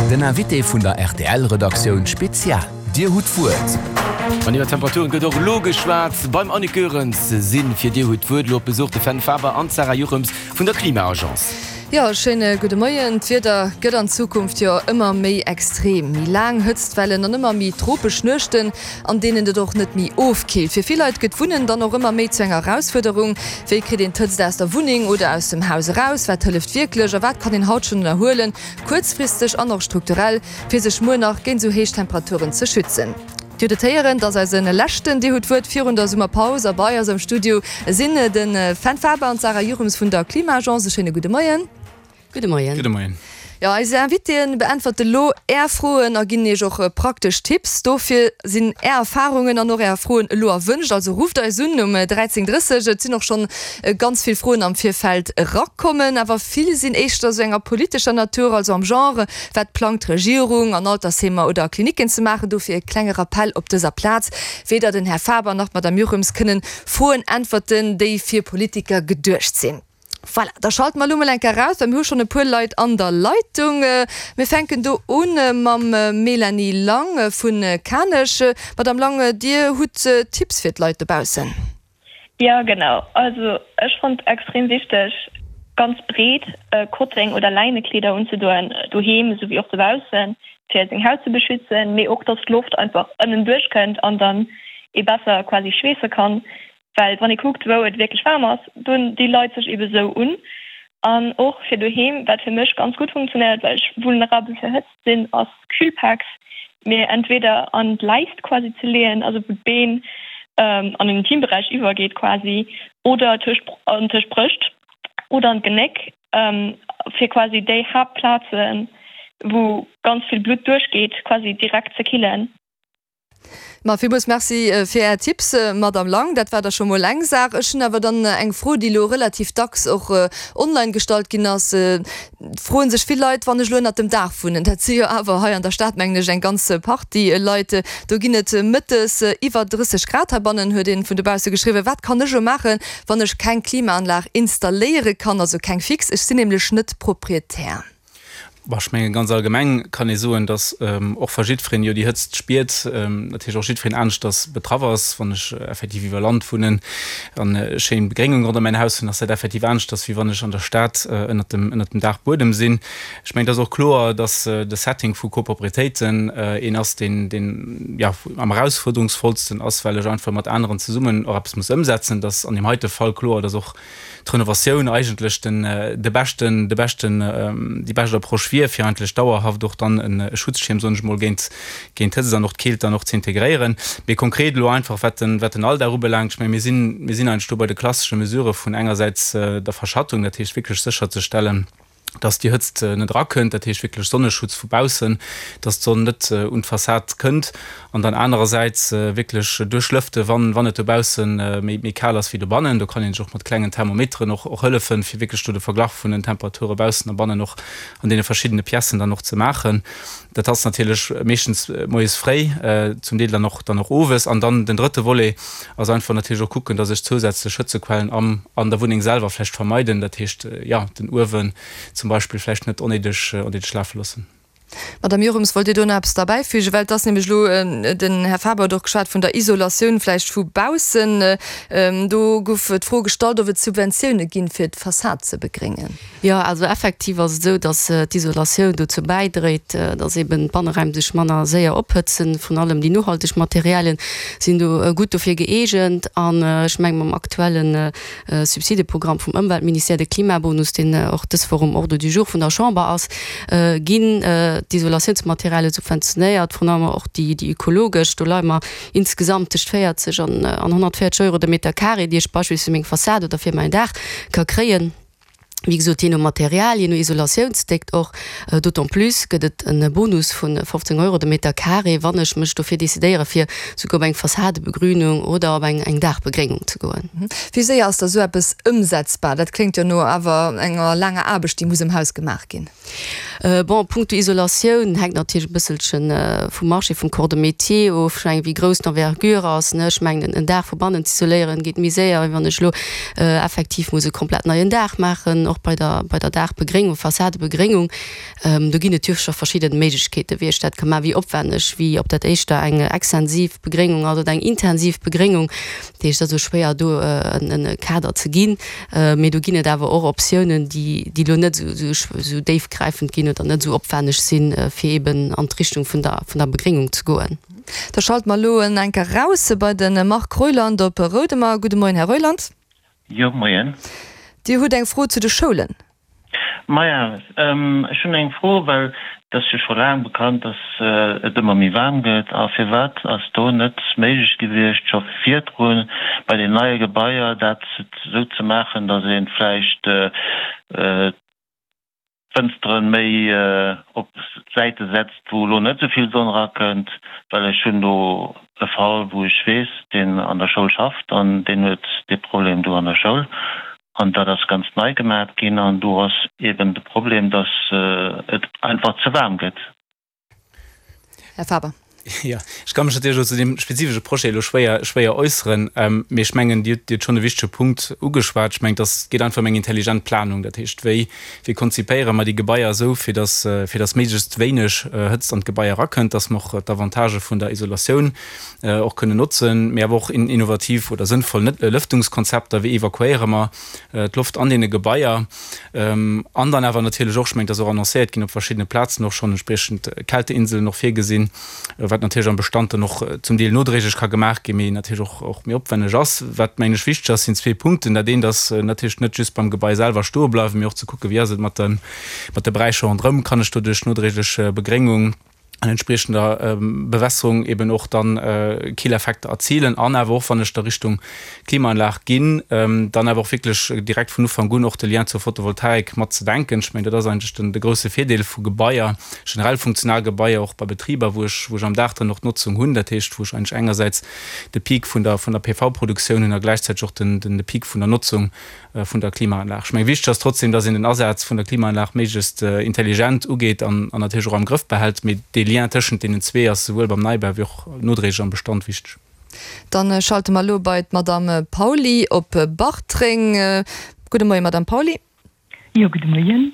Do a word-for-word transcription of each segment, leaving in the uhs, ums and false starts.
Den Invité vun der R T L-Redaktioun Spezial. Dir hutt d'Wuert. An iwwer Temperaturen gëtt och elo geschwat. Beim Annick Goerens sinn fir Dir hutt d'Wuert elo op Besuch de Fenn Faber an d'Sarah Juchems vun der Klima-Agence. Jo, schéine gudde Moien. D'Wieder gëtt an Zukunft jo ëmmer méi extrem. Méi laang Hëtztwellen an ëmmer méi tropesch Nuechten, an deenen et och net méi ofkillt. Fir vill Leit gëtt Wunnen dann och ëmmer méi zu enger Erausfuerderung. Wéi kritt een d'Hëtzt aus der Wunneng oder aus dem Haus eraus? Wat hëlleft wierklech a wat kann een haut schonn ënnerhuelen, kuerzfristeg an och strukturell, fir sech muer nach géint esou héich Temperaturen ze schützen? Dir hutt et héieren, et ass eise leschten Dir hutt d'Wuert virun der Summerpaus a bei eis am Studio sinn de Fenn Faber an d'Sarah Juchems vun der Klima-Agence. E schéine gudde Moien. Gudde Moien. Gudde Moien. Jo, eis Invitéen beäntwerte lo Är Froen a ginn Iech och praktesch Tipps. Dofir sinn Är Erfarungen an och Är Froen elo erwënscht. Also rufft eis un um dräizéng drësseg. Et sinn och schonn ganz vill Froen am Virfeld erakommen, awer vill sinn éischter sou enger politescher Natur, also am Genre, Wat plangt d'Regierung an Altersheemer oder a Klinicken ze maachen? Dofir e klenge Rappell op dëser Plaz, Weder den Här Faber nach d'Madame Juchems kënnen Froen äntwerten, déi fir Politiker geduecht sinn. Voilà, da schalte mer elo mol eng Kéier raus, well mir hu schonn e puer Leit an der Leitung. Mir fänken do u mam Mélanie Lang vu Kanech. Madame Lang, Dir hutt Tipps fir d'Leit dobaussen. Jo, genau. Also ech fonnt extrem wichteg, ganz breet Kotteng oder Läinekleeder unzedoen, doheem esou wéi och dobaussen, fir seng Haut ze beschützen, mee och dass d'Loft einfach ënnen duerchkënnt an dann ee besser quasi schweesse kann. Well wann ee kuckt, wou et wierklech waarm ass, doen déi Leit sech ebe sou un. An och fir doheem, wat fir mech ganz gutt funktionéiert, well ech vulnerabel fir Hëtzt sinn, ass Kühlpacks mir entweder an d'Leist quasi ze leeën, also wou d'Been an den Intimberäich iwwergeet quasi, oder tëscht an tëscht d'Brëscht oder an d'Genéck, fir quasi déi Haaptplazen, wou ganz vill Blutt duerchgeet, quasi direkt ze killen. Ma villmools Merci fir Är Tipps, Madame Lang. Dat war da scho mol eng Saach. Ech hunn awer dann eng Fro, déi elo relativ dacks och online gestallt ginn ass. Et froe sech vill Leit, Wann ech elo ënnert dem Daach wunnen, dat si jo awer hei an der Stad, mengen ech, eng ganz Partie Leit, do ginn et mëttes iwwer drësseg Grad heibannen, huet ee vun dobausse geschriwwen. Wat kann ech elo maachen, wann ech keng Klimaanlag installéiere kann, also keng fix? Ech sinn nämlech net Proprietär. Bon, ech mengen, ganz allgemeng kann ee soen, dass och wa jiddwereen jo déi Hëtzt spiert, natierlech och jiddwereen aneschters betraff ass. Wann ech effektiv iwwer Land wunnen an schéin Begréngung ronderëm mäin Haus hunn, ass dat effektiv aneschters, wéi wann ech an der Stad ënnert dem, ënnert dem Daachbuedem sinn. Ech mengen, et ass och kloer, dass de Setting vu Coproprietéiten een ass, deen, deen, jo, am erausfuerderungsvollsten ass, well ech einfach mat aneren zesummen och eppes muss ëmsetzen. Et ass an deem heite Fall kloer, dass och d'Renovatioun eigentlech den, de beschten, de beschten, déi bescht Approche wier, fir eigentlech dauerhaft och dann e Schutzschierm, soen ech emol, géint, géint d'Hëtzt an och d'Keelt dann och ze integréieren. Mee konkret elo einfach, wat den, wat den Alldag ubelaangt, ech menge mir sinn, mir sinn eigentlech do bei de klassesche Mesurë vun engersäits der Verschattung, dat heescht wierklech sécherzestellen, dass déi Hëtzt net erakënnt, dat heescht wierklech Sonneschutz vu baussen, dass d'Sonn net un d'Fassad kënnt, an dann anerersäits wierklech duerchlëfte wann wann et dobausse méi méi kal ass wéi dobannen. Do kann een sech och mat klengen Thermometeren och och hëllefen, fir wierklech do de Verglach vun den Temperature baussen a bannen och an deene verschiddene Piècen dann och ze maachen. Dat ass natierlech meeschtens moies fréi, zum Deel dann och dann och owes. An dann den drëtte Volet ass einfach natierlech och kucken, dass ech zousätzlech Hëtzequellen am an der Wunneng selwer vläicht vermeiden, dat heescht, jo, den Uewen zum Beispill vläicht net onnéideg onnéideg lafe loossen. Madame Jochems, wollt Dir do nach eppes derbäifügen? Well et ass nämlech elo, den Här Faber huet och geschwat vun der Isolatioun vläicht vu baussen. Do gouf d'Fro gestallt, ob et Subventioune ginn, fir d'Fassad ze begréngen. Jo, also effektiv ass et esou, datt d'Isolatioun dozou bäidréit, datt eben d'Banneräim sech manner séier ophëtzen. Vrun allem déi nohalteg Materialien sinn do gutt dofir gëeegent. An ech mengen, mam aktuelle Subsideprogramm vum Ëmweltministère, de Klimabonus, deen och dës Woch um Ordre du jour vun der Chamber ass, ginn d'Isolatiounsmaterialie subventionéiert, vrun allem och déi ökologesch. Do leie mer insgesamt tëscht véierzeg an honnertvéierzeg Euro de Meter carré, déi ech beispillsweis fir meng Fassad oder fir mäin Daach ka kréien. Wéi gesot, jee no Material, jee no Isolatiounsdéckt och. D'autant plus gëtt et e Bonus vu fofzéng Euro de Meter carré, wann ech mech dofir decidéiere fir souguer op eng Fassadebegrünung oder op eng Daachbegréngung ze goen. Wéi séier ass da sou eppes ëmsetzbar? Dat kléngt jo no awer enger laanger Aarbecht, déi muss um Haus gemaach ginn. Bon, punkto Isolatioun hänkt natierlech e bësselche vum Marché, vum Corps de métier of. Ech mengen, wéi grouss d'Envergure ass, ne. Ech mengen, en Daach vu bannen z'isoléieren geet méi séier, wéi wann ech elo effektiv muss e komplett neien Daach maachen. och bei der, bei der Daachbegréngung, Fassadebegréngung. Do ginn et jo scho verschidden Méiglechkeeten, wéi ech dat ka maachen, wéi opwänneg, wéi ob dat éischter eng extensiv Begréngung ass oder eng intensiv Begréngung. Dat heescht, et ass esou schwéier do en e Kader ze ginn. Mee do ginn et awer och Optiounen, déi, déi elo net esou, esou déifgräifend ginn oder net esou opwänneg sinn, fir eeben an d'Richtung vun der, vun der Begréngung ze goen. Da schalte mer elo en enker raus bei de Marc Reuland op Roudemer. Gudde Moien, Här Reuland. Jo, moien. Dir hutt eng Fro zu de Schoulen. Maja, ech hunn eng Fro, well et ass jo scho laang bekannt, dass et ëmmer méi waarm gëtt. A firwat ass do net méiglech gewiescht, scho virdru bei den neie Gebaier dat esou ze maachen, dass ee vläicht d'Fënsteren méi op Säite setzt, wou elo net esou vill Sonn erakënnt? Well ech hunn do e Fall, wou ech weess, deen an der Schoul schafft an deen huet dee Problem do an der Schoul. An dat ass ganz nei gemaat ginn an do ass eben de Problem, dass et einfach ze waarm gëtt. Här Faber. Jo, ech ka mech natierlech elo zu deem spezifesche Projet elo schwéier, schwéier äusseren, mee ech mengen, Dir hutt, Dir hutt schonn e wichtege Punkt ugeschwat. Ech mengen, et ass, geet einfach ëm eng intelligent Planung. Dat heescht, wéi, wéi konzipéiere mer déi Gebaier esou, fir dass, fir dass méiglechst wéineg Hëtzt an d'Gebai erakënnt, dass mer och d'Avantagë vun der Isolatioun och kënnen notzen, mee awer och innovativ oder sënnvoll Lëftungskonzepter, wéi evakuéiere mer d'Loft an deene Gebaier an dann awer natierlech och, ech mengen, et ass och annoncéiert ginn, op verschiddene Plazen och schonn entspriechend Kälteinseln och virgesinn, wat natierlech am Bestand dann och zum Deel nodréiglech ka gemaach ginn, mee natierlech och och méi opwänneg ass. Wat, mengen ech, wichteg ass, sinn zwee Punkten. Dat eent ass natierlech net just beim Gebai selwer stoe bleiwen, mee och ze kucken, wéi ass et mat de mat de Beräicher ronderëm, kann ech doduerch nodréiglech Begréngung an entspriechender Bewässerung eben och dann Killeffekter erzilen an awer och, wann ech da Richtung Klimaanlag ginn, dann awer och wierklech direkt vun Ufank un och de Lien zur Photovoltaik mat ze denken. Ech mengen, dat ass eigentlech den de grouse Virdeel vu Gebaier, generell funktional Gebaier, och bei Betriber, wou ech wou ech am Daach dann och d'Notzung hunn, dat heescht, wou ech eigentlech engersäits de Peak vun der vun der P V-Produktioun hunn a gläichzäiteg och den den de Peak vun der Notzung vun der Klimaanlag. Ech mengen, wichteg ass trotzdem, dass een den Asaz vun der Klimaanlag méiglechst intelligent ugeet an natierlech och am Grëff behält. Mee dee Lien tëschent deenen zwee ass souwuel beim Neibau wéi och nodréiglech am Bestand wichteg. Dann schalte mer elo bei d'Madame Pauly op Bartreng. Gudde Moien, Madame Pauly. Jo, gudde Moien.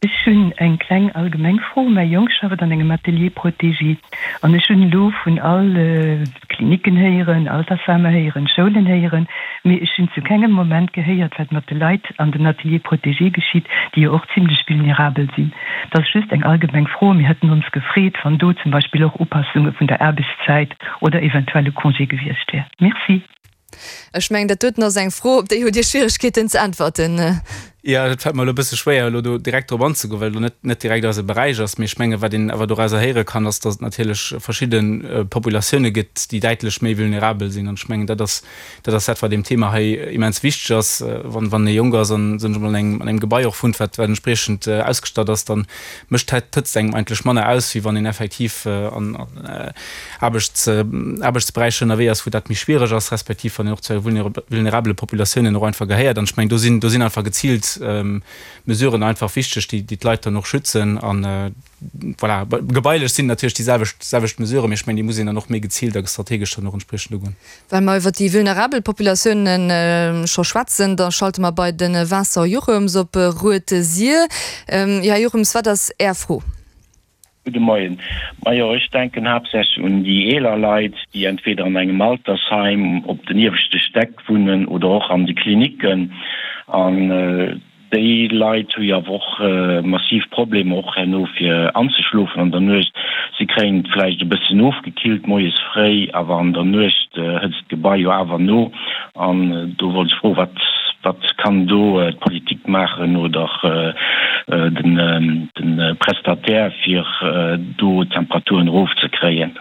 Ech hunn eng kleng allgemeng Fro. Mäi Jong schafft an engem Atelier protégé an ech hunn elo vun all Klinicken héieren, Altersheemer héieren, Schoulen héieren, mee ech hunn zu kengem Moment gehéiert, wat mat de Leit an den Ateliers protégés geschitt, déi jo och zimlech vulnerabel sinn. Dat ass just eng allgemeng Fro. Mir hätten ons gefreet, wann do zum Beispill och Upassunge vun der Aarbechtszäit oder eventuell e Congé gewiescht wär. Merci. Ech mengen, dat doten ass eng Fro, op déi hutt Dir Schwieregkeeten ze äntwerten. Jo, dat fält mer elo e bësse schwéier, elo do direkt drop anzegoen, well elo net, net direkt eise Beräich ass. Mee ech mengen, wat een awer dorauser héiere kann, ass, datt et natierlech verschidde Populatioune gëtt, déi däitlech méi vulnerabel sinn. An ech mengen, dat ass, dat ass dat, wat deem Thema hei immens wichteg ass. Wann, wann ee jonk ass an, soen ech emol, an engem, an engem Gebai och wunnt, wat, wat entspriechend ausgestatt ass, dann mécht d'Hëtzt engem eigentlech manner aus, wéi wann een effektiv an, an Aarbechts, Aarbechtsberäicher ënnerwee ass, wou dat méi schwiereg ass, respektiv wann een och zu vulnerabele Populatiounen och einfach gehéiert. An ech mengen, do sinn, do sinn einfach geziilt Mesuren einfach wichteg, déi, déi d'Leit dann och schützen. An voilà, gebailech sinn natierlech déi selwecht, selwecht Mesuren, mee ech mengen, déi muss een dann och méi geziilt a strategesch dann och entspriechend ugoen. Well mer iwwert déi vulnerabel Populatiounen scho schwätzen, da schalte mer bei de Vincent Jochems op Rued-Sir. Jo, Här Jochems, wat ass Är Fro? Gudde Moien. Majo, ech denken haaptsächlech un déi eeler Leit, déi entweder an engem Altersheim op den ieweschte Stäck wunnen oder och an de Klinicken. An déi Leit hu jo awer och massiv Problemer och herno fir anzeschlofen an der Nuecht. Si kréien et vläicht e bëssen ofgekillt moies fréi, awer an der Nuecht hëtzt d'Gebai jo awer no. An do wollt ech froen, wat Wat kann do d'Politik maachen oder de Prestataire, fir do d'Temperaturen erofzekréien?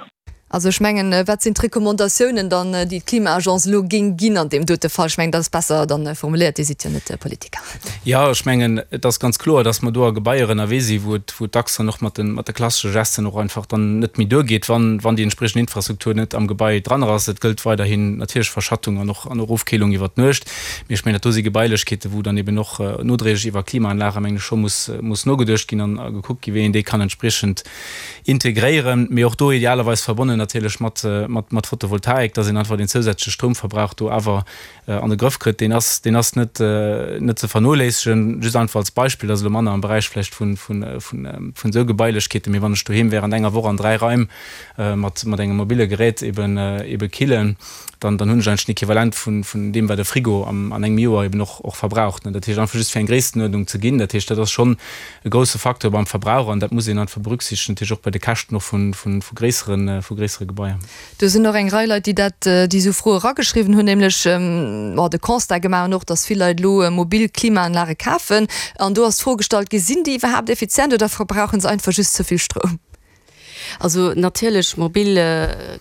Also ech mengen, wat sinn d'Recommandatiounen dann, déi d'Klima-Agence elo géing ginn an deem dote Fall? Ech mengen, dat ass besser dann formuléiert, Dir sidd jo net Politiker. Jo, ech mengen, et ass ganz kloer, dass mer do a Gebaier ënnerwee sinn, wou et, wou et dacks dann och mat de, mat de klassesche Gesten och einfach dann net méi duergeet, wann, wann déi entspriechend Infrastruktur net am Gebai dran ass. Et gëllt weiderhin natierlech Verschattung an och, an och Ofkeelung iwwer d'Nuecht. Mee ech mengen, dat do si Gebailechkeeten, wou dann eben och nodréiglech iwwer Klimaanlage, mengen ech, scho muss, muss nogeduecht ginn an a gekuckt ginn, wéi een déi kann entspriechend integréieren, mee och do idealerweis verbonnen natierlech mat, mat, mat Photovoltaik, dass een einfach den zousätzleche Stroumverbrauch do awer an de Grëff kritt. Deen ass, deen ass net, net ze vernoléissegen. Just einfach als Beispill, dat ass elo manner am Beräich vläicht vun, vun, vun, vun esou Gebailechkeeten, mee wann ech doheem während enger Woch an dräi Raim mat, mat engem mobile Gerät eben, ebe killen, dann, dann hunn ech eigentlech den Equivalent vun, vun deem, wat e Frigo am, an engem Joer eben och, och verbraucht. Dat heescht einfach just fir eng Gréisstenuerdnung ze ginn. Dat heescht, dat ass schonn e grousse Facteur beim Verbrauch an dat muss een einfach berücksichtegen, natierlech och bei de Käschten och vun, vun, vu gréisseren, vu gréissere Gebaier. Do sinn och eng Rei Leit, déi dat, déi esou Froe erageschriwwen hunn, nämlech de Constat gemaach hunn och, dass vill Leit elo mobil Klimaanlage kafen. An do ass d'Fro gestallt gi, Sinn déi iwwerhaapt effizient oder verbrauchen se einfach just ze vill Stroum? Also natierlech mobil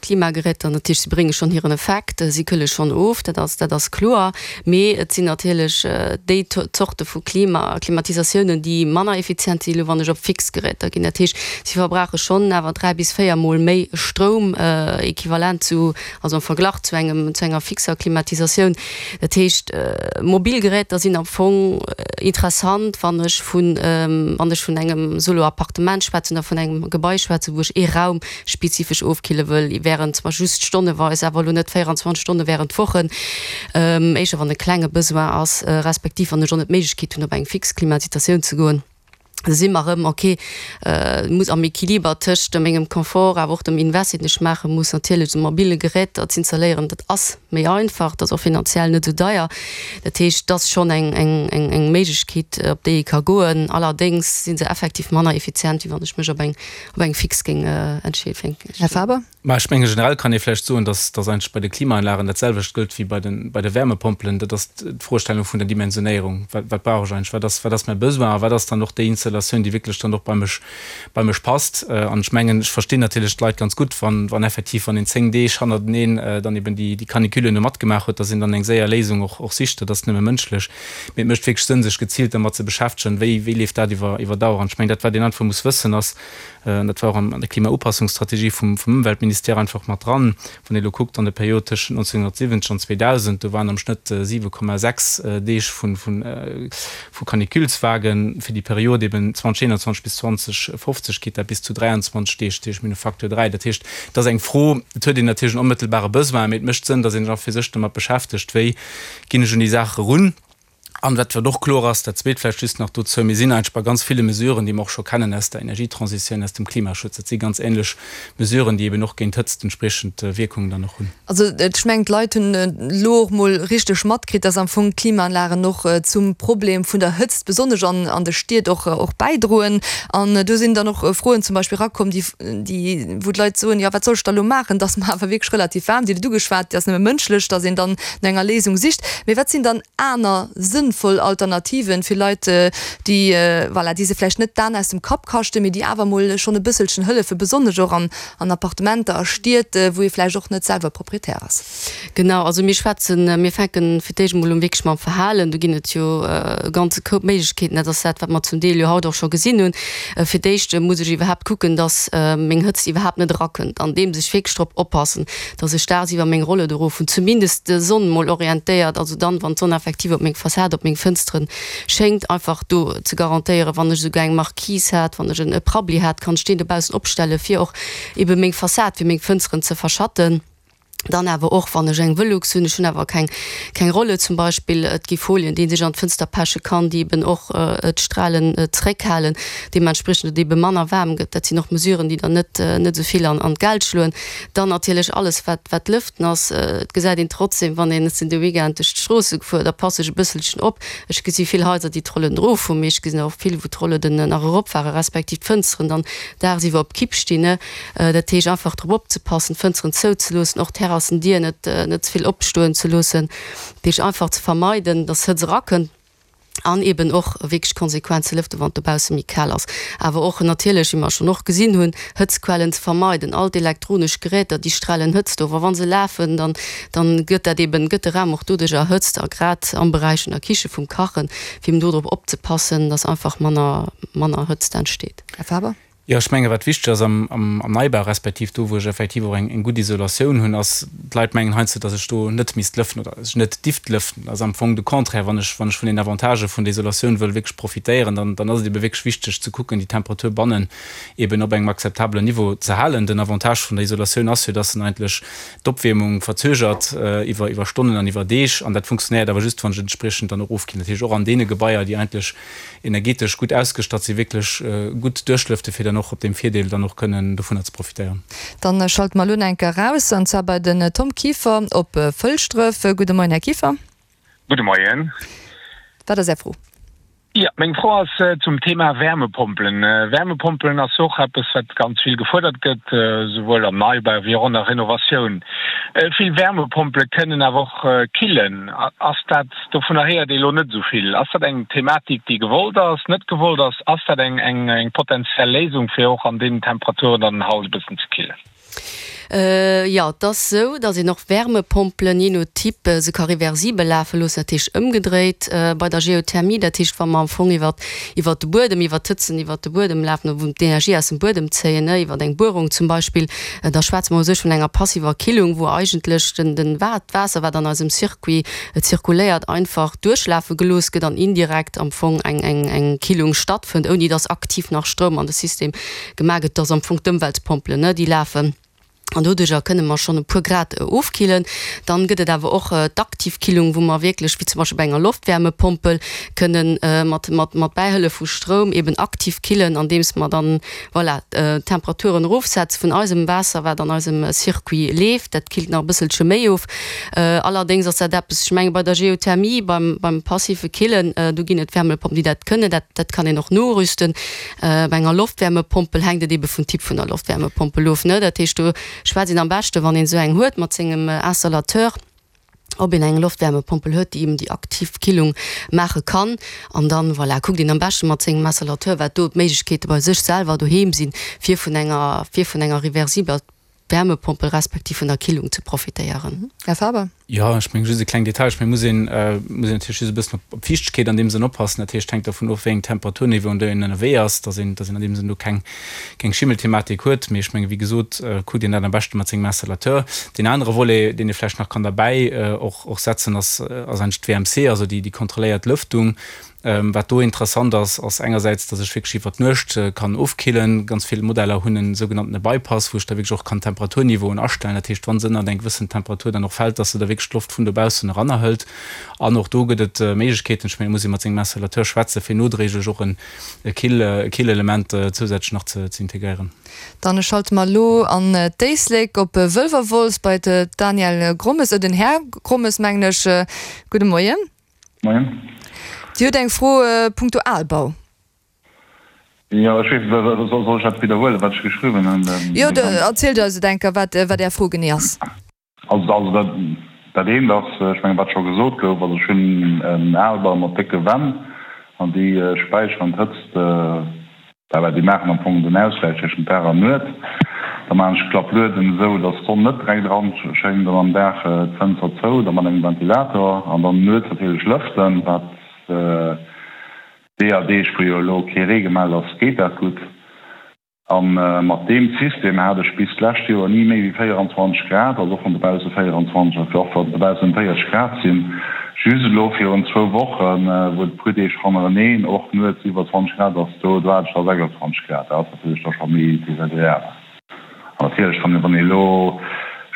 Klimageräter, natierlech, si brénge schonn hiren Effekt, si këlle schonn of, dat ass, dat ass kloer. Mee et sinn natierlech déi Zorte vu Klima, Klimatisatiounen, déi manner effizient sinn, elo wann ech op fix Geräter ginn. Dat heescht, si verbrauche schonn awer dräi bis véier Mol méi Stroum equivalent zu, also am Verglach zu engem, zu enger fixer Klimatisatioun. Dat heescht, mobil Geräter sinn am Fong interessant, wann ech vun, wann ech vun engem Solo-Appartement schwätzen oder vun engem Gebai schwätzen, wou ech ee Raum spezifesch ofkille wëll, während zwar just stonneweis, awer elo net véierundzwanzeg Stonne während Wochen, éischer wann e klenge Besoin ass, respektiv wann ech och net d'Méiglechkeet hunn op eng fix Klimatisatioun ze goen. Da si mer erëm, ok, muss am Equiliber tëscht mengem Confort awer och dem Invest, deen ech maache muss, natierlech esou mobile Geräter z'installéieren, dat ass méi einfach, dat ass och finanziell net esou deier. Dat heescht, dat ass schonn eng, eng, eng Méiglechkeet, op déi ee ka goen. Allerdéngs si se effektiv manner effizient, wéi wann ech mech op eng, op eng fix géing entscheeden. Här Faber? Mä ech menge generell kann ee vläicht soen, dass, dass eigentlech bei de Klimaanlagen dat selwecht gëllt wéi bei de, bei de Wärmepompelen. Dat ass d'Froestellung vun der Dimensionéierung. Wat, wat brauch ech eigentlech? Wat ass, wat ass mäi Besoin a wat ass dann och déi Installatioun, déi wierklech dann och bei mech, bei mech passt? An ech mengen, ech verstinn natierlech d'Leit ganz gutt, wann, wann effektiv, wann een zéng Deeg hannerteneen dann eben déi, déi Canicule elo matgemaach huet, dass een dann eng séier Léisung och, och sicht. Dat ass nëmme mënschlech. Mee et mécht wierklech Sënn, sech geziilt dermat ze beschäftegen, wéi, wéi leeft dat iwwer, iwwer Dauer. An ech mengen, dat wat een einfach muss wëssen ass, An dat war och an der Klimaupassungsstrategie vum Ëmweltministère einfach mat dran. Wann ee elo kuckt an der Period tëschent neunzehnhundertsiwwenzeg an zweedausend, do waren am Schnëtt siwe Komma sechs Deeg vu Caniculeswagen. Fir déi Period eben zweitausendeenanzwanzeg bis zweitausendfofzeg geet dat bis zu dräianzwanzeg Deeg, dat heescht mir hunn e Facteur dräi. Dat heescht, et ass eng Fro, et huet een natierlech en onmëttelbare Besoin, mee et mécht Sënn, datt een sech och fir sech domat beschäftegt, wéi ginn ech un déi Saach erun. An wat wat och kloer ass, dat Zweet vläicht just nach dozou, Mir sinn eigentlech bei ganz ville Mesuren, déi mer och scho kennen aus der Energietransitioun, aus dem Klimaschutz. Dat si ganz ähnlech Mesuren, déi eben och géint d'Hëtzt entspriechend Wierkungen dann och hunn. Also ech mengen, d'Leit hunn elo och mol richteg matkritt, dass am Fong d'Klimaanlagen och zum Problem vun der Hëtzt, besonnesch an an de Stied, och och bäidroen. An do sinn dann och Froen zum Beispill erakomm, déi déi wou d'Leit soen, jo wat soll ech da elo maachen, dass mer awer wierklech relativ waarm, Dir hutt et ugeschwat, et ass nëmme mënschlech, dass een dann no enger Léisung sicht. Mee wat sinn dann aner sënnvoll Alternativen fir Leit, déi, voilà, déi se vläicht net d'An aus dem Kapp kaschten, mee déi awer emol schonn e bësselchen hëllefen, besonnesch och an, an Appartementer a Stied, wou ee vläicht och net selwer Proprietär ass? Genau, also mir schwätzen, mir fänken fir d'éischt emol un wierklech mam Verhalen. Do ginn et jo e ganze Koup Méiglechkeeten. Dat ass dat, wat mer zum Deel jo haut och scho gesinn hunn. Fir d'éischt muss ech iwwerhaapt kucken, dass meng Hëtzt iwwerhaapt net erakënnt, andeems ech wierklech drop oppassen, dass ech dagsiwwer meng Rollued erof hunn, zumindest d'Sonn mol orientéiert, also dann, wann d'Sonn effektiv op meng Fassad, op meng Fënsteren schéngt, einfach do ze garantéieren, wann ech esouguer eng Marquise hat, wann ech en Prabbeli hat, kann ech deen dobaussen opstellen, fir och ebe meng Fassad, fir meng Fënsteren ze verschatten. Dann awer och, wann ech eng Velux hunn, ech hunn awer keng, keng Rollued zum Beispill, et gi Folien, déi ee sech an d'Fënster peche kann, déi eben och d'Strahlen zréckhalen, deementspriechend et ebe manner waarm gëtt. Dat sinn och Mesuren, déi dann net, net esou vill an, an d'Geld schloen. Dann natierlech alles, wat, wat Lëften ass. Et gesäit een trotzdem, wann een, ech sinn de Weekend duerch d'Stroosse gefuer, da passe ech e bësselchen op. Ech gesi vill Haiser, déi d'Rollen erof hunn, mee ech gesinn och vill, wou d'Rollen nach erop waren, respektiv d'Fënsteren dann dagsiwwer op Kipp stinn. Dat heescht einfach drop opzepassen, d'Fënsteren zouzeloossen, och d'Terrassendier net, net ze vill opstoen ze loossen. Dat heescht einfach ze vermeiden, dass Hëtzt erakënnt. An eben och wierklech konsequent ze lëften, wann et dobausse méi kal ass. Awer och natierlech, wéi mer schonn och gesinn hunn, Hëtztquellen ze vermeiden. All d'elektronesch Geräter, déi strahlen Hëtzt of. A wa se lafen, dann, dann gëtt dat eben, gëtt de Raum och doduerch erhëtzt. A grad am Beräich vun der Kiche, vum Kachen, fir eben dodrop opzepassen, dass einfach manner, manner Hëtzt entsteet. Här Faber? Jo, ech menge wat wichteg ass am Neibau, respektiv do wou ech effektiv och eng gutt Isolatioun hunn, ass, d'Leit mengen heiansdo, datt ech do net misst lëften oder datt ech net dierft lëften. Dat ass am Fong de Contraire. Wann ech, wann ech vun den Avantagë vun der Isolatioun wëll wierklech profitéieren, dann, dann ass et ebe wierklech wichteg ze kucken, déi Temperatur bannen eben op engem akzeptabelen Niveau ze halen. Den Avantage vun der Isolatioun ass jo, datt en eigentlech d'Opwiermung verzögert iwwer, iwwer Stonnen an iwwer Deeg. An dat funktionéiert awer just, wann ech entspriechend dann och ofkillen. Dat heescht och an deene Gebaier, déi eigentlech energetesch gutt ausgestatt sinn, wierklech gutt duerchlëfte fir dann och op deem Virdeel dann och kënnen dovunner ze profitéieren. Dann schalte mer elo nach eng Kéier eraus, an zwar bei den Tom Kieffer op Fëlschdref. Gudde Moien, Här Kieffer. Gudde Moien. Wat ass Är Fro? Jo, meng Fro ass zum Thema Wärmepompelen. Wärmepompelen ass och eppes, wat ganz vill gefuerdert gëtt, souwuel am Neibau wéi och an der Renovatioun. Vill Wärmepompele kënnen awer och killen. Ass dat, dovunner héiert ee lo net esou vill. Ass dat eng Thematik, déi gewollt ass, net gewollt ass? Ass dat eng eng potenziell Léisung, fir och an deenen Temperaturen dann den Haus e bëssen ze killen? Jo, et ass esou, datt een och Wärmepompelen, jee no Typ, se ka reversibel lafe loossen, dat heescht ëmgedréit bei der Geothermie. Dat heescht, wa mer am Fong iwwer iwwer de Buedem, iwwer d'Hëtzen iwwer de Buedem lafen, wou d'Energie aus dem Buedem zéien, ne, iwwer eng Buerung zum Beispill, da schwätze mer u sech vun enger passiver Killung, wou eigentlech den den d'Waasser, wat an eisem Circuit zirkuléiert, einfach duerchlafe gelooss gëtt an indirekt am Fong eng eng eng Killung stattfënnt, ouni datt aktiv nach Stroum an de System gemaach gëtt. Dat ass am Fong d'Ëmweltpompelen, ne, déi lafen. An doduercher kënne mer schonn e puer Grad ofkillen. Dann gëtt et awer och d'aktiv Killung, wou mer wierklech, wéi zum Beispill bei enger Loftwärmepompel, kënnen mat, mat, mat Bäihëllef vu Stroum eben aktiv killen, andeems mer dann, voilà, d'Temperaturen erofsetze vun eisem Waasser, wat an eisem Circuit leeft. Dat killt nach e bësselche méi of. Allerdéngs ass dat eppes, ech menge bei der Geothermie, beim, beim passive Killen, do ginn et Wärmepompen, déi dat kënnen. Dat, dat kann een och norüsten. Bei enger Loftwärmepompel hänkt et ebe vum Typ vun der Loftwärmepompel of, ne. Dat heescht, do schwätzt een am beschte wann een esou eng huet mat sengem Installateur, ob een eng Loftwärmepompel huet, déi eben déi aktiv Killung maache kann. An dann, voilà, kuckt een am beschte mat sengem Installateur, wat do d'Méiglechkeete bei sech selwer doheem sinn, fir vun enger, fir vun enger reversibler Wärmepompel respektiv vun der Killung ze profitéieren. Här Faber. Jo, ech mengen, just e kleng Detail, ech mengen, muss een, muss een natierlech just e bëssen op d'Fiichtegkeet an deem Sënn oppassen. Dat heescht, hänkt dervun of, wéi eng Temperaturniveauen do een ënnerwee ass, dass een, dass een an deem Sënn do keng, keng Schimmelthematik huet. Mee ech mengen, wéi gesot, kuckt een dat am beschte mat sengem Installateur. Deen anere Volet, deen ee vläicht nach kann derbäi och, och setzen, ass, ass eigentlech d'W M C, also déi, déi kontrolléiert Lëftung. Wat do interessant ass, ass engersäits, dass ech wierklech iwwer d'Nuecht kann ofkillen. Ganz vill Modeller hunn en sougenanntene Bypass, wou ech da wierklech och kann d'Temperaturniveauen astellen. Dat heescht, wa se ënnert eng gewëssen Temperatur dann och fält, dass se da wierklech d'Loft vun dobaussen erannerhëlt. An och do gëtt et Méiglechkeeten, ech mengen, et muss ee mat sengem Installateur schwätzen, fir nodréiglech och e Kill-Element zousätzlech nach ze integréieren. Dann schalte mer elo an d'Éislek op Wëlwerwolz bei d'Danièle Grommes, den Här Grommes mengen ech. Gudde Moien. Moien. Dir hutt eng Fro punkto Albau. Jo, ech weess net, soll ech dat widderhuelen, wat ech geschriwwen hunn? Jo, erzielt eis et eng Kéier, wat wat Är Fro genee ass. Also, also dat, dat eent ass, ech mengen, wat scho gesot gouf, also ech hunn en Albau mat décke Wänn an déi späicheren d'Hëtzt, Well déi maachen am Fong den Ausgläich tëschent Dag an Nuet. Da maachen ech d'Klapplueden esou, datt d'Sonn net direkt eran schéngt an am Dag d'Fënster zou, da mat engem Ventilator an dann nuets natierlech lëften. Wat deeër Deeg, wou jo elo kee Ree gemellt ass, geet dat gutt. A mat deem System hat ech bis d'lescht Joer ni méi wéi véieranzwanzeg Grad, also och wann dobausse véieranzwanzeg ass, och wann dobaussen véierzeg Grad sinn. Just elo virun zwou Wochen, wou et e puer Deeg hannereneen och nuets iwwer zwanzeg Grad ass, do do hat ech da sechsandzwanzeg Grad. Dat ass natierlech da scho méi desagreabel. An natierlech, wann wann ee elo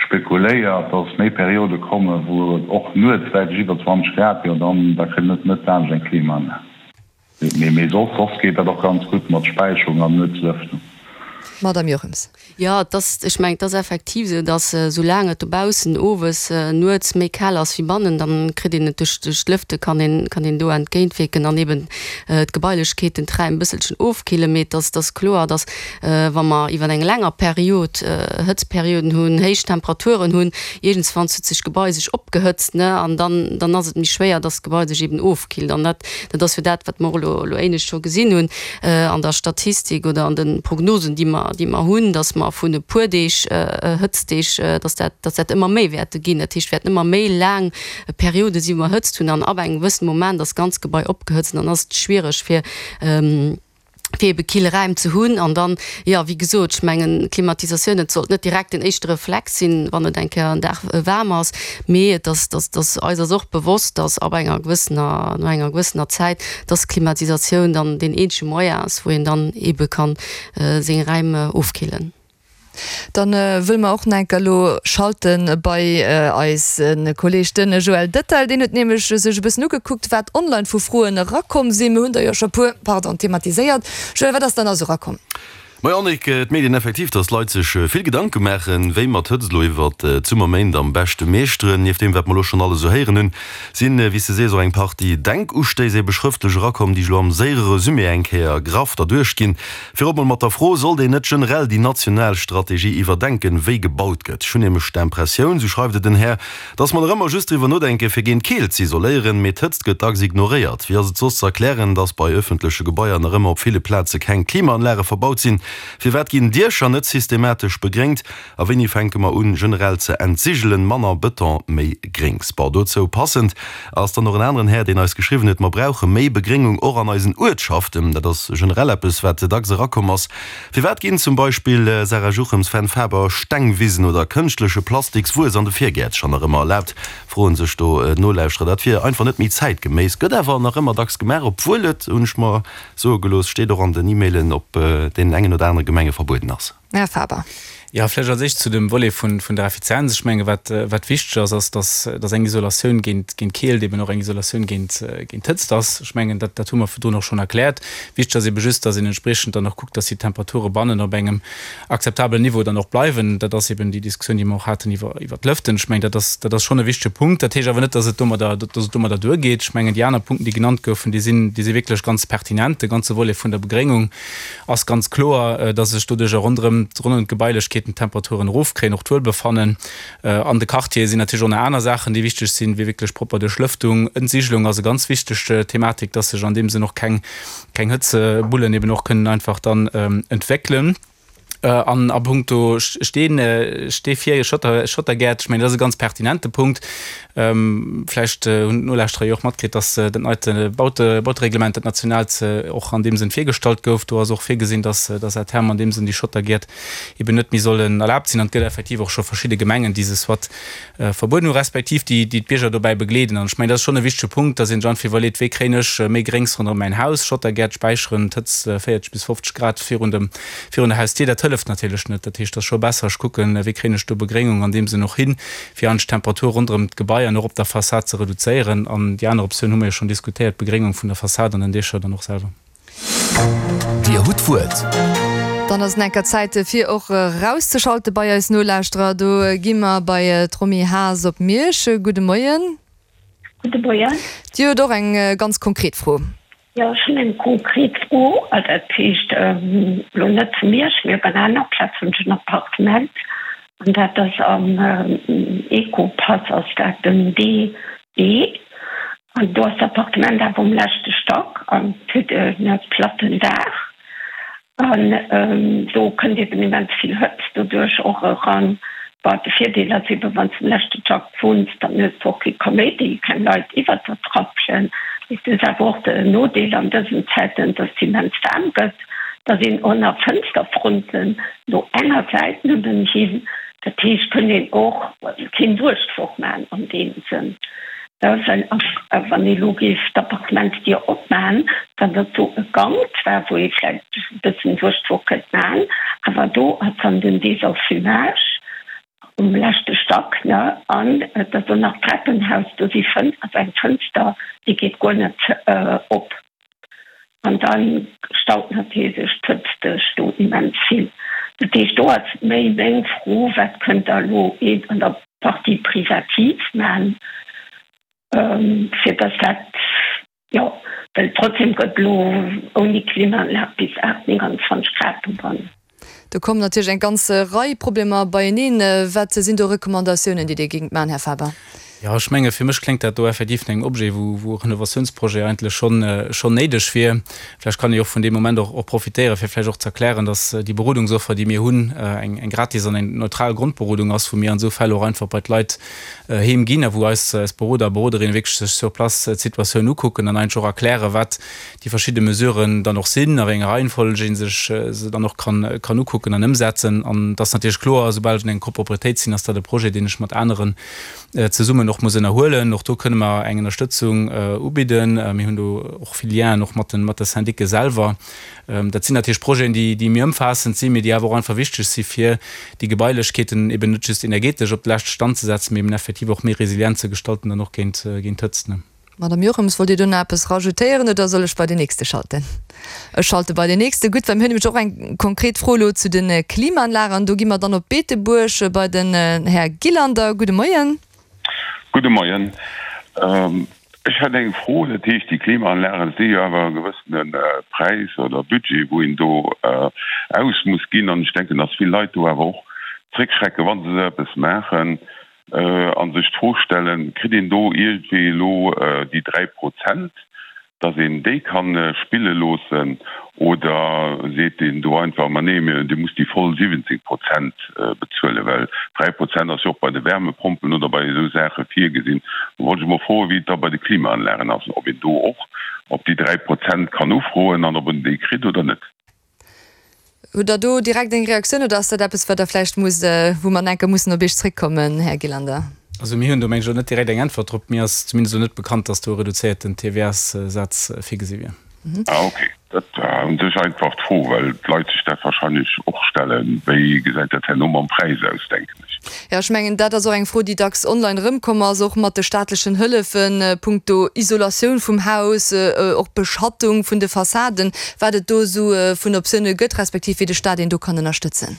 spekuléiert, datt méi Periode kommen, wou et och nuets däitlech iwwer zwanzeg Grad, jo dann da kritt een net net laanscht eng Klimaanlag. Mee mee soss soss geet dat och ganz gutt mat Späicherung an nuets Lëftung. Madame Jochems. Jo, et ass, ech mengen, et ass effektiv esou, datt soulaang et dobaussen owes, nuets méi kal ass wéi bannen, dann kritt een et duerch duerch d'Lëfte kann een kann een do entgéintwierken an eben d'Gebailechkeeten, d'Räim e bësselchen ofkillen. Mee et ass et ass kloer, datt wa mer iwwer eng länger Period Hëtztperioden hunn, héich Temperaturen hunn, iergendswanns huet sech d'Gebai sech opgehëtzt, ne, an dann dann ass et méi schwéier, datt d'Gebai sech eben ofkillt. An dat dat ass jo dat, wat mer och elo elo éinescht scho gesinn hunn an der Statistik oder an de Prognosen, déi mer déi mer hunn, datt mer vun e puer Deeg Hëtztdeeg, datt dat datt dat ëmmer méi wäerte ginn. Dat heescht, wäerten ëmmer méi laang Periode sinn, wou mer Hëtzt hunn an ab engem gewëssene Moment ass d'ganz Gebai opgehëtzt an dann ass et schwiereg fir fir ebe kill Räim ze hunn. An dann, jo, wéi gesot, ech mengen, Klimatisatioun, et sollt net direkt den éischte Reflex sinn, wann et eng Kéier en Dag waarm ass, mee et ass, dass, dass eis ass och bewosst, dass ab enger gewëssener, no enger gewëssener Zäit, dass Klimatisatioun dann deen eenzege Moyen ass, wou een dann ebe kann seng Räim ofkillen. Dann wëlle mer och nach enker elo schalte bei eise Kolleg den Joël Dettel. Deen huet nämlech sech e bëssen ugekuckt, wat online vu Froen erakomm sinn. Mir hunn der jo scho puer, pardon, thematiséiert. Joël, wat ass dann nach esou erakomm? Majo Annick, et mierkt een effektiv, dass d'Leit sech vill Gedanke maachen, wéi mer d'Hëtzt elo iwwert d'Summerméint am beschte meeschteren. Nieft deem, wat mer elo schonn alles esou héieren hunn, sinn, wéi s de sees, och eng Partie Denkustéiss ebe schrëftlech erakomm, déi ech elo am séiere Resumé eng Kéier graff derduerch ginn. Virop mol mat der Fro, Sollt een net generell déi national Strategie iwwerdenken, wéi gebaut gëtt? Ech hunn nämlech d'Impressioun, sou schreift et den Här, dass mer nach ëmmer just driwwer nodenken, fir géint d'Keelt z'isoléieren, mee d'Hëtzt gëtt dacks ignoréiert. Wéi ass et soss z'erklären, dass bei ëffentleche Gebaier nach ëmmer op ville Plaze keng Klimaanlage verbaut sinn? Firwat ginn Diecher net systematesch begréngt? A wéini fänke mer un, generell ze entsigelen? Manner Bëton, méi Gréngs. Bon, dozou passend ass dann och en aneren Här, deen eis geschriwwen huet, Mer brauche méi Begréngung och an eisen Uertschaften. Dat ass generell eppes, wat dacks erakomm ass. Firwat ginn zum Beispill, Sarah Juchems, Fenn Faber, Stengwisen oder kënschtleche Plastikswuess an de Virgäertcher nach ëmmer erlaabt? Froen sech do d'Nolauschterer. Dat wier einfach net méi zäitgeméiss, gëtt awer nach ëmmer dacks gemaach, obwuel et, hunn ech mer soe gelooss, steet och an den E-Mailen, op deenen engen oder anere Gemenge verbueden ass. Här Faber. Jo, vläicht als éischt zu dem Volet vun der Effizienz. Ech menge wat, wat wichteg ass, ass, dass, dass eng Isolatioun géint, géint Keelt eben och eng Isolatioun géint, géint Hëtzt ass. Ech mengen, dat, dat hu mer virdrun och schonn erkläert. Wichteg ass ebe just, dass een entspriechend dann och kuckt, dass déi Temperature bannen op engem akzeptabelen Niveau dann och bleiwen. Dat ass eben déi Diskussioun, déi mer och haten iwwer, iwwer d'Lëften. Ech mengen, dat ass, dat ass schonn e wichtege Punkt. Dat heescht awer net, dass et domadder, dass et domadder duergeet. Ech mengen, déi aner Punkten, déi genannt goufen, déi sinn, déi si wierklech ganz pertinent. De ganze Volet vun der Begréngung ass ganz kloer, dass ech doduercher ronderëm, ronderëm d'Gebailechkeeten d'Temperaturen erofkréien, och d'Wuelbefannen an de Quartiere sinn natierlech och nach aner Saachen, déi wichteg sinn, wéi wierklech propper Duerchlëftung. Entsigelung ass e ganz wichteg Thematik, dass sech an deem Sënn och keng, keng Hëtzebullen eben och kënnen einfach dann entwéckelen. An a puncto Steen, Stee fir Schotter, Schottergäert, ech mengen, dat ass e ganz pertinente Punkt. Vläicht hunn d'Nolauschterer jo och matkritt, dass dat neit Baute, Bautereglement, dat nationaalt, och an deem Sënn virgestallt gouf. Do ass och virgesinn, dass, dass à terme an deem Sënn déi Schottergäert eben net méi sollen erlaabt sinn. An et gëtt effektiv och scho verschidde Gemengen, déi se soit verbueden hu respektiv déi, déi d'Bierger dobäi begleeden. An ech mengen, dat ass schonn e wichtege Punkt, dass een sech einfach iwwerleet, Wéi kréien ech méi Gréngs ronderëm mäin Haus? Schottergäert späicheren d'Hëtzt véierzeg bis fofzeg Grad virun dem, virun der Hausdier, dat hëlleft natierlech net. Dat heescht, et ass scho besser, ech kucken, wéi kréien ech do Begréngung an deem Sënn och hin, fir eigentlech d'Temperatur ronderëm d'Gebai an och op der Fassad ze reduzéieren. An déi aner Optioun hu mer jo schonn diskutéiert, d'Begréngung vun der Fassad an den Diecher dann och selwer. Dir hutt d'Wuert. Dann ass et enker Zäit fir och erauszeschalten bei eis Nolauschterer. Do gi mer bei d'Romy Haas op Miersch. Gudde Moien. Gudde Moien. Dir hutt och eng ganz konkret Fro. Jo, ech hunn eng konkret Fro. Dat heescht, elo net zu Miersch, mee op enger aner Plaz hunn ech en Appartement. An dat ass am Ecopass ass dat den D E. An do ass d'Appartement awer um leschte Stack an et huet e platten Daach. An do kënnt eben immens vill Hëtzt doduerch och eran. Bon, de Virdeel ass eben, wann s de um leschte Stack wunns, dann hues de och kee Kaméidi, keng Leit iwwert der trapschen. Mee et huet awer och den Nodeel an dësen Zäiten, dass et immens waarm gëtt. Da sinn och nach Fënsterfronten no enger Säit nëmmen hin. Dat heescht, kënnt een och keen Duerchzuch maachen an deem Sënn. Well wann ee elo géif d'Appartementsdier opmaachen, dann ass do e Gank zwar, wou ee vläicht e bëssen Duerchzuch kënnt maachen, awer do ass dann den Désenfumage um leschte Stack, ne? An et ass och nach d'Treppenhaus, do si Fën, ass eng Fënster, déi geet guer net op. An da staut natierlech d'Hëtzt sech do immens vill. Dat heescht, do ass méi meng Fro, Wat kënnt Der elo an der Partie privative man, fir dass dat, jo, well trotzdem gëtt elo ouni Klimaanlag bis aacht, nénganzwanzeg Grad dobannen. Do kommen natierlech eng ganz Rei Problemer beieneen. Wat sinn do Recommandatiounen, déi Dir géingt man, Här Faber? Jo, ech menge fir mech kléngt dat do effektiv no engem Objet, wou wou e Renovatiounsprojet eigentlech schonn schonn néideg wier. Vläicht kann ee och vun deem Moment och och profitéieren, fir vläicht och ze erklären, dass déi Berodungsoffer, déi mir hunn, eng eng gratis an eng neutral Grondberodung ass, wou mir an esou Fäll och einfach bei d'Leit heem ginn a wou eis eis Beroder a Beroderinne wierklech sech sur place d'Situatioun ukucken an eigentlech och erklären, wat déi verschidde Mesuren dann och sinn, a wéi enger Reihenfolg ee sech se dann och kann kann ukucken an ëmsetzen. An et ass natierlech kloer, soubal ech an enger Copropriétéit sinn, ass dat e Projet, deen ech mat aneren zesummen och muss ënnerhuelen. Och do kënne mer eng Ënnerstëtzung ubidden. Mir hunn do och vill Lienen och mat de mat de Syndicë selwer. Dat sinn natierlech Projeten, déi déi méi ëmfaassend sinn, mee déi awer och einfach wichteg si fir déi Gebailechkeeten eben net just energetesch op de leschte Stand ze setzen, mee eben effektiv och méi resilient ze gestalten dann och géint géint d'Hëtzt. Madame Jochems, wollt Dir do nach eppes rajoutéieren oder soll ech bei den nächste schalten? Ech schalte bei den nächste. Gutt, well mir hunn nämlech och eng konkret Fro elo zu de Klimaanlagen. Do gi mer dann op Beetebuerg bei den Här Gillander. Gudde Moien. Gudde Moien. Ech hätt eng Fro. Dat heescht, déi Klimaanlagen si jo awer e gewëssene Präis oder Budget, wou een do aus muss ginn. An ech denken, datt vill Leit do awer och zréckschrecken, wa se esou eppes maachen. a sech d'Fro stellen, Kritt een do iergendwéi elo déi dräi Prozent, datt een déi ka spille loossen, oder seet een do einfach, Ma nee, Dir musst déi voll siwwenzéng Prozent bezuelen, well dräi Prozent ass jo och bei de Wärmepompen oder bei esou Saache virgesinn. Do wollt ech emol froen, wéi et da bei de Klimaanlagen ass, ob een do och op déi dräi Prozent kann ufroen an ob en déi kritt oder net. Hutt Der do direkt eng Reaktioun oder ass dat eppes, wat Der vläicht musst, wou mer enke mussen op Iech zréckkommen, Här Gillander? Also mir hunn do, meng ech, elo net direkt eng Äntwert drop. Mir ass zumindest elo net bekannt, dass do e reduzéierten T V S-Saz virgesi wier. Ah ok, dat war u sech einfach d'Fro, well d'Leit sech dat wahrscheinlech och stellen. Wéi gesäit dat herno mam Präis aus, denken ech. Jo, ech mengen, dat ass och eng Fro, déi dacks online erëmkomm ass, och mat de staatlechen Hëllefen punkto Isolatioun vum Haus, och Beschattung vun de Fassaden, wat et do esou vun Optioune gëtt, respektiv wéi de Staat een do kann ënnerstëtzen.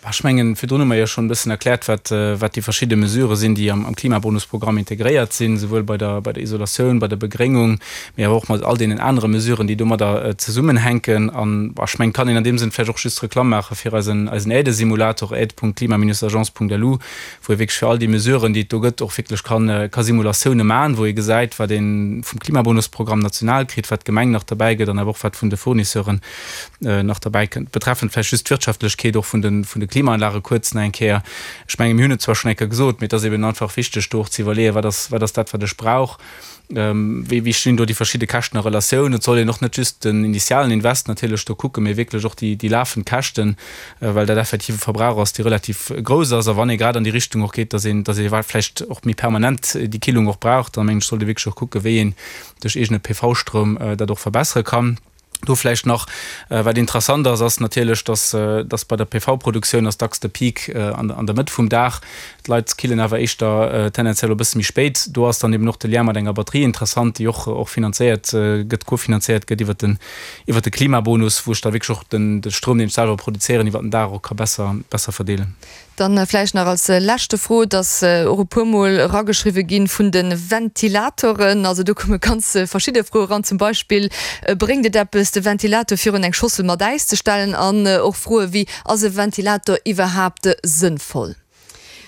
Ech mengen, virdrun hu mer jo schonn e bëssen erkläert, wat, wat déi verschidde Mesurë sinn, déi am, am Klimabonusprogramm integréiert sinn, souwuel bei der, bei der Isolatioun, bei der Begréngung, mee awer och mat all deenen anere Mesuren, déi domadder zesummenhänken. An ech mengen, kann een an deem Sënn vläicht och just Reklamm maache fir eisen, eisen Aidesimulator, aide punkt klima minus agence punkt lu, wou ee wierklech fir all déi Mesuren, déi et do gëtt, och wierklech kann, ka Simulatioune maachen, wou ee gesäit, wat ee vum Klimabonusprogramm national kritt, wat d'Gemeng nach derbäi gëtt an awer och wat vun de Fournisseuren nach derbäi kënnt. Betreffend vläicht just d'Wirtschaftlechkeet och vun de, vun de Klimaanlage kuerz nach eng Kéier. Ech menge mir hunn et zwar schonn eng Kéier gesot, mee et ass eben einfach wichteg do och ze iwwerleeën, wat ass, wat ass dat, wat ech brauch, wéi, wéi stinn do déi verschidde Käschten a Relatioun. Et soll een och net just den initialen Invest natierlech do kucken, mee wierklech och déi, déi lafend Käschten, well dat effektiv e Verbrauch ass, dee relativ grouss ass. A wann ee grad an déi Richtung och geet, dass een, dass ee vläicht och méi permanent déi Killung och brauch, da mengen ech, sollt ee wierklech och kucken, wéi een duerch eegene P V-Stroum dat och verbessere kann. Do vläicht nach, wat interessant ass, ass natierlech, dass, dass bei der P V-Produktioun ass dacks de Peak an, an der Mëtt vum Dag. D'Leit killen awer éischter tendenziell e bësse méi spéit. Do ass dann eben och de Lien mat enger Batterie interessant, déi och, och finanzéiert gëtt, kofinanzéiert gëtt iwwert den, iwwert de Klimabonus, wou ech da wierklech och den, de Stroum, deen ech selwer produzéieren, iwwert den Dag och ka besser, besser verdeelen. Dann vläicht nach als leschte Fro, et ass och e puermol erageschriwwe gi vun de Ventilatoren. Also do komme ganz verschidde Froe eran, zum Beispill, Bréngt et eppes, de Ventilator virun eng Schossel mat Äis ze stellen? An och Froe wéi, Ass e Ventilator iwwerhaapt sënnvoll?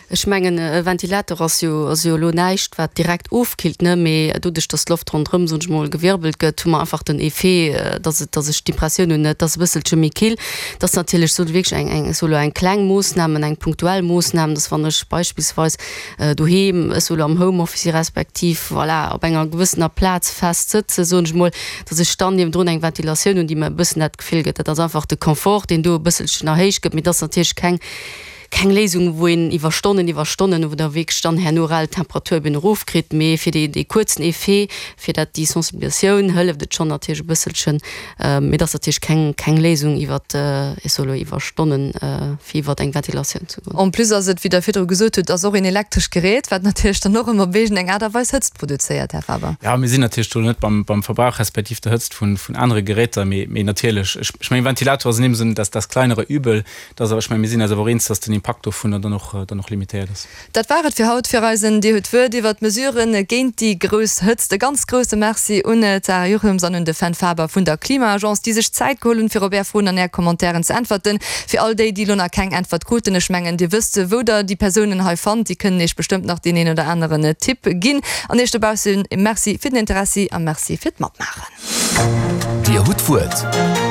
Ech mengen, e Ventilator ass jo, ass jo elo näischt, wat direkt ofkillt, ne, mee doduerch, dass d'Loft ronderëm, soen ech mol, gewirbelt gëtt, hu mer einfach den Effet, dass et, dass ech d'Impressioun hunn, et ass e bësselche méi kill. Et ass natierlech sou wierklech eng, eng, ech soe lo eng kleng Moossnam, eng punktuell Moossnam, dass wann ech beispillsweis doheem, ech soe lo am Homeoffice si respektiv, voilà, op enger gewëssener Plaz fest sëtzen, soen ech mol, dass ech dann niewendrun eng Ventilatioun hunn, déi mer e bëssen dat Gefill gëtt. Dat ass einfach de Confort, deen do e bësselchen erhéicht gëtt, mee et ass natierlech keng, keng Léisung, wou een iwwer Stonnen, iwwer Stonnen, wou der wierklech dann herno rel d'Temperatur eben erofkritt, mee fir dee, dee kuerzen Effet, fir dat, déi Sensibilisatioun hëlleft et schonn natierlech e bësselchen, mee et ass natierlech keng, keng Léisung iwwer, ech soe lo iwwer Stonnen, fir iwwer eng Ventilatioun ze goen. En plus ass et, wéi Der virdru gesot hutt, ass och een elektrescht Gerät, wat natierlech dann och ëmmer op iergend eng Aart a Weis Hëtzt produzéiert, Här Faber. Jo, mir sinn natierlech do net beim, beim Verbrauch respektiv der Hëtzt vun, vun anere Geräter, mee, mee natierlech, ech, ech mengen, Ventilator ass in deem Sënn das, das kleinere Übel. Dat ass awer, ech mengen, mir sinn eis awer och eens, dass den Impakt dovunner dann och, dann och limitéiert ass. Dat war et fir haut fir eisen Dir hutt d'Wuert iwwert d'Mesuren géint déi grouss Hëtzt. E ganz grousse Merci un d'Sarah Juchems an un de Fenn Faber vun der Klima-Agence, déi sech d'Zäit geholl hunn, fir op Är Froen an Är Commentairen ze äntwerten. Fir all déi, déi elo nach keng Äntwert kruten, ech mengen, Dir wësst, wou Der déi Persounen hei fannt, déi kënnen Iech bestëmmt nach deen een oder aneren Tipp ginn. An Iech dobaussen Merci fir den Interessi a Merci fir d'Matmaachen. Dir hutt d'Wuert.